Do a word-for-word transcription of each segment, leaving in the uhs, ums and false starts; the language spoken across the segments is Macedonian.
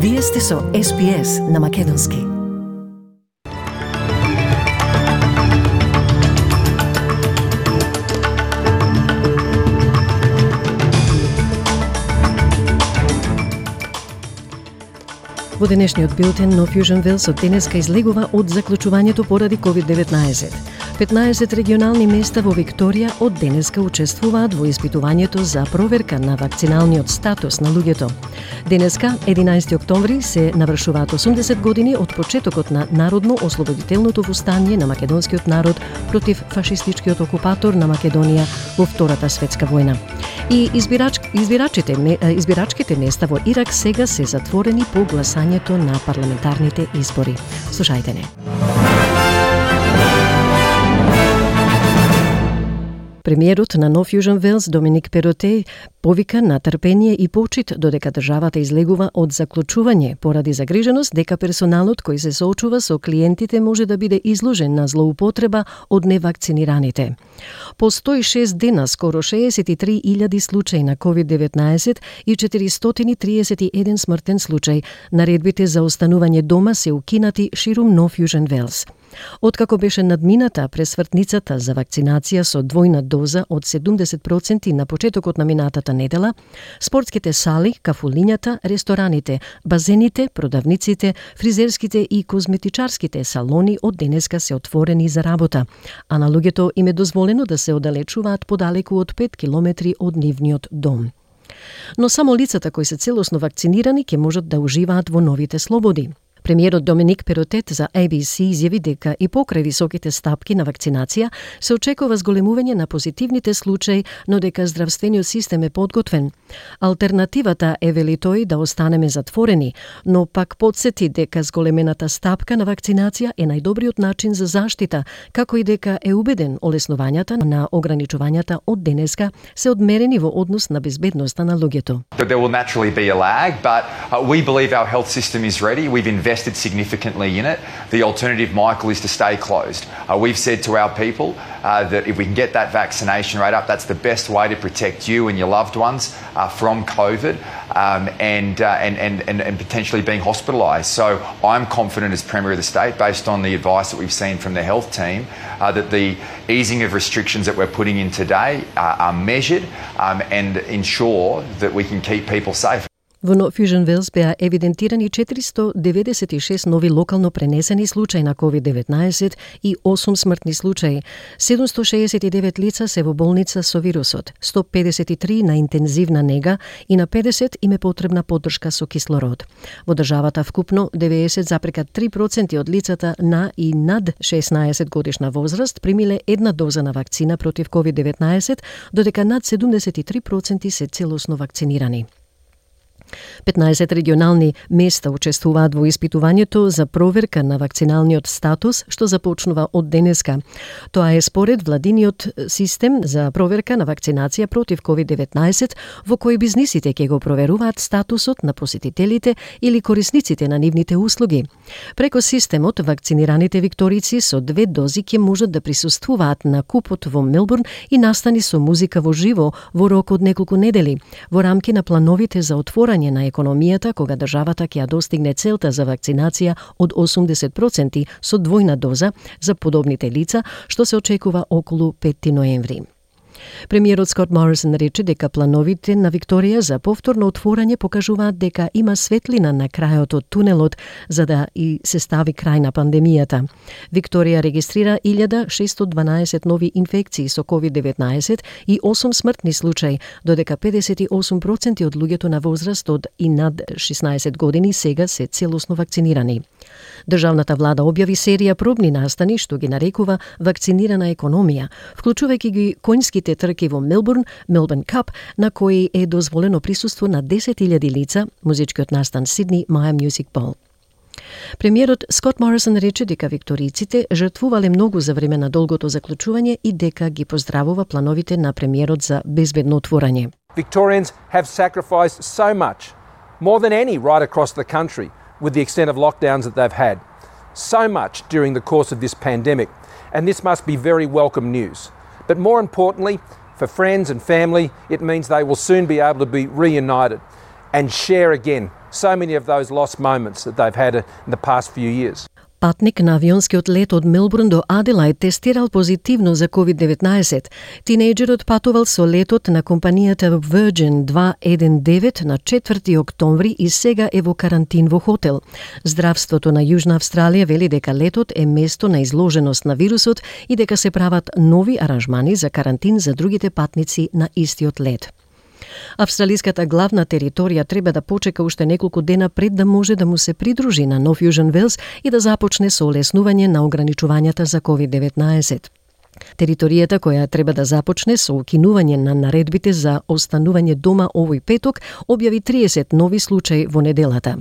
Вие сте со Ес Би Ес на Македонски. Во денешниот билтен No Fusion Wales од денеска излегува од заклучувањето поради ковид деветнаесет. петнаесет регионални места во Викторија од денеска учествуваат во испитувањето за проверка на вакциналниот статус на луѓето. Денеска, единаесети октомври, се навршуваат осумдесет години од почетокот на народно-ослободителното востание на македонскиот народ против фашистичкиот окупатор на Македонија во Втората светска војна. И избирач, избирачите, избирачките места во Ирак сега се затворени по гласањето на парламентарните избори. Слушајте не. Премиерот на No Fusion Wales Доминик Перотеј повика на трпение и почит додека државата излегува од заклучување поради загриженост дека персоналот кој се соочува со клиентите може да биде изложен на злоупотреба од невакцинираните. По сто и шест дена, скоро шеесет и три илјади случаи на ковид деветнаесет и четиристотини и триесет и еден смртен случај, наредбите за останување дома се укинати ширум No Fusion Wales. Откако беше надмината пресвртницата за вакцинација со двојна доза од седумдесет проценти на почетокот на минатата недела, спортските сали, кафулињата, рестораните, базените, продавниците, фризерските и козметичарските салони од денеска се отворени за работа, а на луѓето им е дозволено да се оддалечуваат подалеку од пет километри од нивниот дом. Но само лицата кои се целосно вакцинирани ќе можат да уживаат во новите слободи. Премиерот Доминик Перотеј за Ей Би Си изјави дека и покрај високите стапки на вакцинација се очекува зголемување на позитивните случаи, но дека здравствениот систем е подготвен. Алтернативата е, вели тој, да останеме затворени, но пак подсети дека зголемената стапка на вакцинација е најдобриот начин за заштита, како и дека е убеден олеснувањата на ограничувањата од денеска се одмерени во однос на безбедноста на луѓето. There will naturally be a lag, but uh, we believe our health system is ready. We've invested significantly in it. The alternative, Michael, is to stay closed. Uh, we've said to our people uh, that if we can get that vaccination rate up, that's the best way to protect you and your loved ones uh, from COVID um, and, uh, and, and, and, and potentially being hospitalised. So I'm confident as Premier of the State, based on the advice that we've seen from the health team, uh, that the easing of restrictions that we're putting in today uh, are measured um, and ensure that we can keep people safe. Во No Fusion Wales беа евидентирани четиристо деветдесет и шест нови локално пренесени случаи на ковид деветнаесет и осум смртни случаи. седумсто шеесет и девет лица се во болница со вирусот, сто педесет и три на интензивна нега и на педесет им е потребна поддршка со кислород. Во државата вкупно деветдесет запрека три проценти од лицата на и над шеснаесет годишна возраст примиле една доза на вакцина против ковид деветнаесет, додека над седумдесет и три проценти се целосно вакцинирани. петнаесет регионални места учествуваат во испитувањето за проверка на вакциналниот статус, што започнува од денеска. Тоа е според владиниот систем за проверка на вакцинација против ковид деветнаесет, во кој бизнисите ќе го проверуваат статусот на посетителите или корисниците на нивните услуги. Преко системот, вакцинираните викторици со две дози ќе можат да присуствуваат на купот во Мелбурн и настани со музика во живо во рок од неколку недели, во рамки на плановите за отворање на економијата кога државата ќе ја достигне целта за вакцинација од осумдесет проценти со двојна доза за подобните лица, што се очекува околу петти ноември. Премиерот Скот Морисон рече дека плановите на Викторија за повторно отворање покажуваат дека има светлина на крајот од тунелот за да и се стави крај на пандемијата. Викторија регистрира илјада шестоста дванаесет нови инфекции со ковид деветнаесет и осум смртни случаи, додека педесет и осум проценти од луѓето на возраст од и над шеснаесет години сега се целосно вакцинирани. Државната влада објави серија пробни настани што ги нарекува вакцинирана економија, вклучувајќи ги конјските трки во Мелбурн, Melbourne Cup, на кои е дозволено присуство на десет илјади лица, музичкиот настан Сидни Maya Music Bowl. Премиерот Скот Морисон рече дека викториците жртвувале многу за време на долгото заклучување и дека ги поздравува плановите на премиерот за безбедно отворање. Victorians have sacrificed so much, more than any right across the country, with the extent of lockdowns that they've had. So much during the course of this pandemic, and this must be very welcome news. But more importantly, for friends and family, it means they will soon be able to be reunited. and share again so many of those lost moments that they've had in the past few years. Патник на авионскиот лет од Мелбурн до Аделајд тестирал позитивно за ковид деветнаесет. Тинејџерот патувал со летот на компанијата Virgin дваесет и девет на четврти октомври и сега е во карантин во хотел. Здравството на Јужна Австралија вели дека летот е место на изложеност на вирусот и дека се прават нови аранжмани за карантин за другите патници на истиот лет. Австралиската главна територија треба да почека уште неколку дена пред да може да му се придружи на Нов Јужен Велс и да започне со олеснување на ограничувањата за ковид деветнаесет. Територијата која треба да започне со укинување на наредбите за останување дома овој петок објави триесет нови случаи во неделата.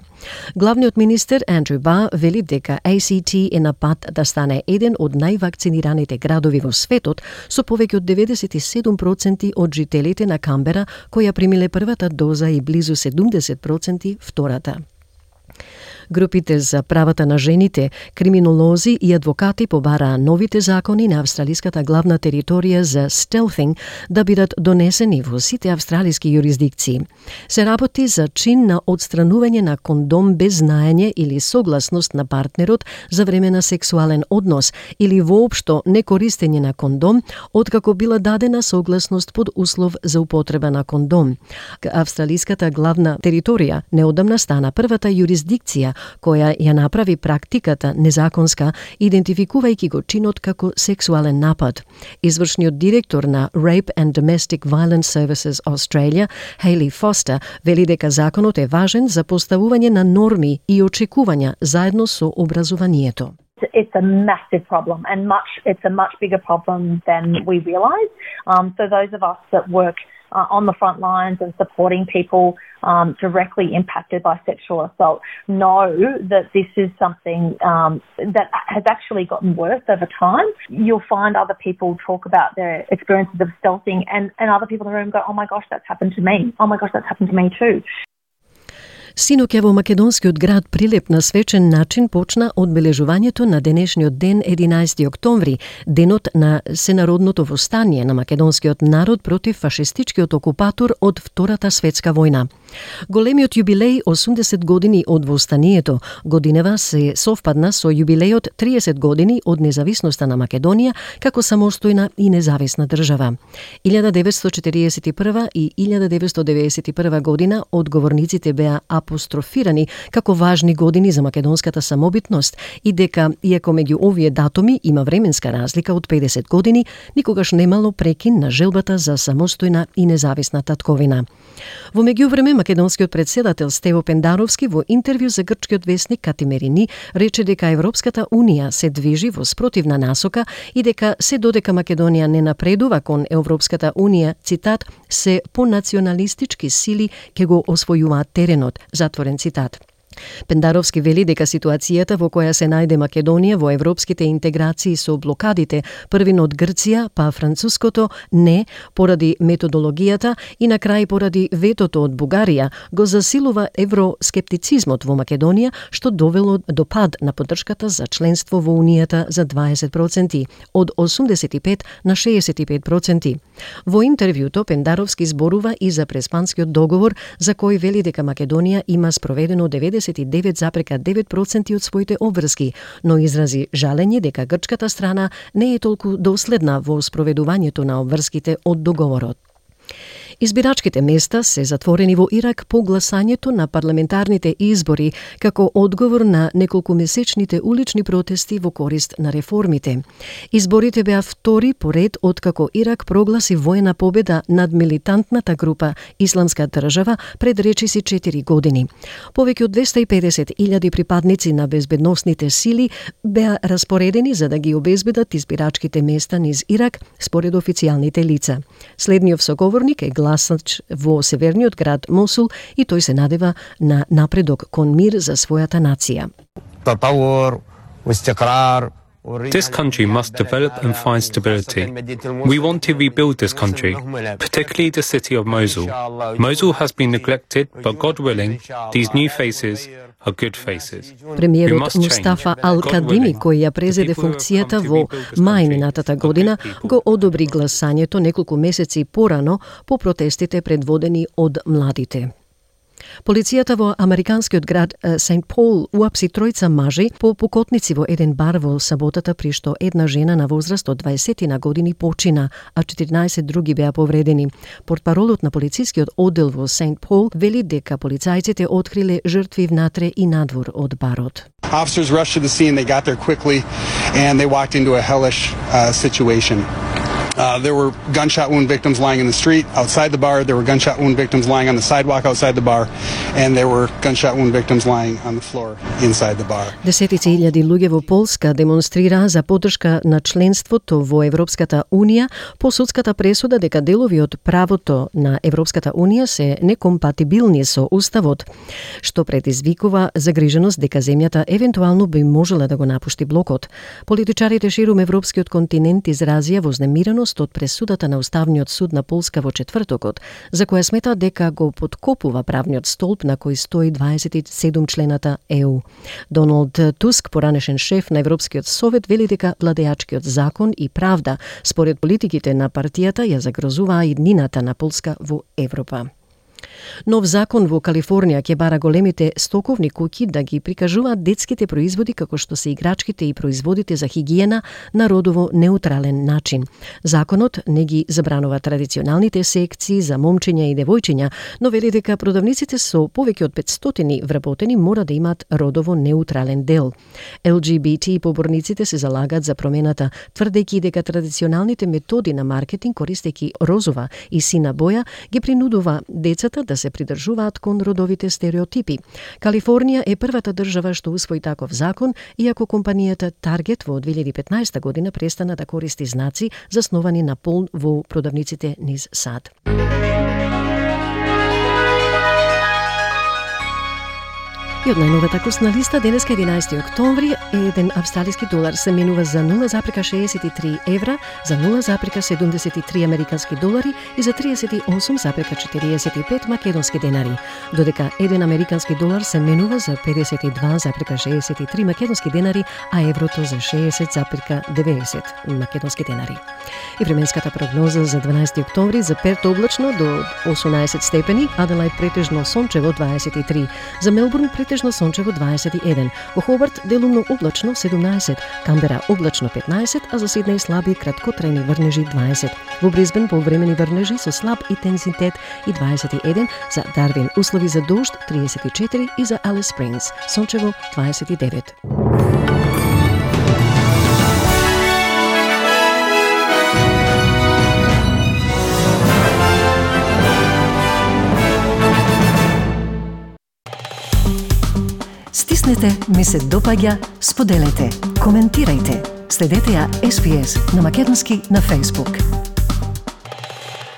Главниот министер Андрю Бар вели дека А Си Ти е на пат да стане еден од највакцинираните градови во светот со повеќе од деветдесет и седум проценти од жителите на Камбера која примиле првата доза и близу седумдесет проценти втората. Групите за правата на жените, криминолози и адвокати побараа новите закони на австралиската главна територија за стелфинг да бидат донесени во сите австралиски юрисдикции. Се работи за чин на отстранување на кондом без знаење или согласност на партнерот за време на сексуален однос или воопшто некористење на кондом, откако била дадена согласност под услов за употреба на кондом. Австралиската главна територија неодамна стана првата юрисдикција која ја направи практиката незаконска, идентификувајќи го чинот како сексуален напад. Извршниот директор на Rape and Domestic Violence Services Australia, Hayley Foster, вели дека законот е важен за поставување на норми и очекувања заедно со образованието. It's a massive problem, and much it's a much bigger problem than we realise. Um, so those of us that work uh, on the front lines and supporting people um, directly impacted by sexual assault know that this is something um, that has actually gotten worse over time. You'll find other people talk about their experiences of stealthing, and, and other people in the room go, oh my gosh, that's happened to me. Oh my gosh, that's happened to me too. Синоќа во македонскиот град Прилеп на свечен начин почна одбележувањето на денешниот ден единаесети октомври, денот на сенародното востание на македонскиот народ против фашистичкиот окупатор од Втората светска војна. Големиот јубилеј осумдесет години од востанието годинева се совпадна со јубилејот триесет години од независноста на Македонија како самостојна и независна држава. илјада деветстотини и четириесет и прва и илјада деветстотини и деветдесет и прва година одговорниците беа апострофирани како важни години за македонската самобитност и дека, иако меѓу овие датуми има временска разлика од педесет години, никогаш немало прекин на желбата за самостојна и независна татковина. Во меѓувреме, македонскиот председател Стево Пендаровски во интервју за грчкиот весник Катимерини рече дека Европската унија се движи во спротивна насока и дека се додека Македонија не напредува кон Европската унија, цитат, се понационалистички сили ќе го освојуваат теренот, затворен цитат. Пендаровски вели дека ситуацијата во која се најде Македонија во европските интеграции со блокадите, првин од Грција, па француското не, поради методологијата и на крај поради ветото од Бугарија, го засилува евроскептицизмот во Македонија, што довело до пад на поддршката за членство во Унијата за дваесет проценти, од осумдесет и пет на шеесет и пет проценти. Во интервјуто Пендаровски зборува и за Преспанскиот договор, за кој вели дека Македонија има спроведено деветдесет и девет зарез и девет проценти од своите обврски, но изрази жалење дека грчката страна не е толку доследна во спроведувањето на обврските од договорот. Избирачките места се затворени во Ирак по гласањето на парламентарните избори како одговор на неколкумесечните улични протести во корист на реформите. Изборите беа втори поред откако Ирак прогласи војна победа над милитантната група Исламска држава пред речиси четири години. Повеќе од двесте и педесет илјади припадници на безбедносните сили беа распоредени за да ги обезбедат избирачките места низ Ирак, според официјалните лица. Следниот соговорник е гласач во северниот град Мосул и тој се надева на напредок кон мир за својата нација. This country must develop and find stability. We want to rebuild this country, particularly the city of Mosul. Mosul has been neglected, but God willing, these new faces are good faces. Премиерот Мустафа Ал-Кадими, кој ја презеде функцијата во мај минатата година, го одобри гласањето неколку месеци порано по протестите предводени од младите. Полицијата во американскиот град Сент Пол уапси тројца мажи по покотници во еден бар во саботата, при што една жена на возраст од дваесет на години почина, а четиринаесет други беа повредени. Портпаролот на полицискиот оддел во Сент Пол вели дека полицајците откриле жртви внатре и надвор од барот. Officers rushed to the scene, they got there quickly, and they walked into a hellish uh, situation. Uh, there were gunshot wound victims lying in the street outside the bar. There were gunshot wound victims lying on the sidewalk outside the bar, and there were gunshot wound victims lying on the floor inside the bar. Десетици илјади луѓе во Полска демонстрираа за поддршка на членството во Европската унија по судската пресуда дека делови од правото на Европската унија се некомпатибилни со уставот, што предизвикува загриженост дека земјата евентуално би можела да го напушти блокот. Политичарите ширум европскиот континент изразија вознемиреност од пресудата на Уставниот суд на Полска во четвртокот, за која смета дека го подкопува правниот столб на кој стои дваесет и седум члената Е У. Доналд Туск, поранешен шеф на Европскиот совет, вели дека владеачкиот закон и правда според политиките на партијата ја загрозуваа иднината на Полска во Европа. Нов закон во Калифорнија ќе бара големите стоковни куќи да ги прикажуваат детските производи како што се играчките и производите за хигиена на родово неутрален начин. Законот не ги забранува традиционалните секции за момчиња и девојчиња, но вели дека продавниците со повеќе од петстотини вработени мора да имаат родово неутрален дел. Ел Джи Би Ти поборниците се залагаат за промената, тврдејќи дека традиционалните методи на маркетинг користејќи розова и сина боја ги принудува децата да се придржуваат кон родовите стереотипи. Калифорнија е првата држава што усвои таков закон, иако компанијата Target во две илјади и петнаесета година престана да користи знаци засновани на пол во продавниците низ САД. И од најновата курсна листа, денеска единаесети октомври, еден австралиски долар се менува за нула запирка шеесет и три евра, за нула запирка седумдесет и три американски долари и за триесет и осум запирка четириесет и пет македонски денари, додека еден американски долар се менува за педесет и два запирка шеесет и три македонски денари, а еврото за шеесет запирка деветдесет македонски денари. И временската прогноза за дванаесети октомври: за Перт облачно до осумнаесет степени, Аделајд претежно сончево дваесет и три, за Мелбурн претежно сончево дваесет и еден, во Хобарт делумно облачно седумнаесет, Камбера облачно петнаесет, а за Сиднеј слаби краткотрајни врнежи дваесет, во Брисбен повремени врнежи со слаб интензитет и дваесет и еден, за Дарвин услови за дожд триесет и четири и за Алис Спрингс сончево дваесет и девет. Стиснете, ми се допаѓа, споделете, коментирајте. Следете ја Ес Би Ес на македонски на Facebook.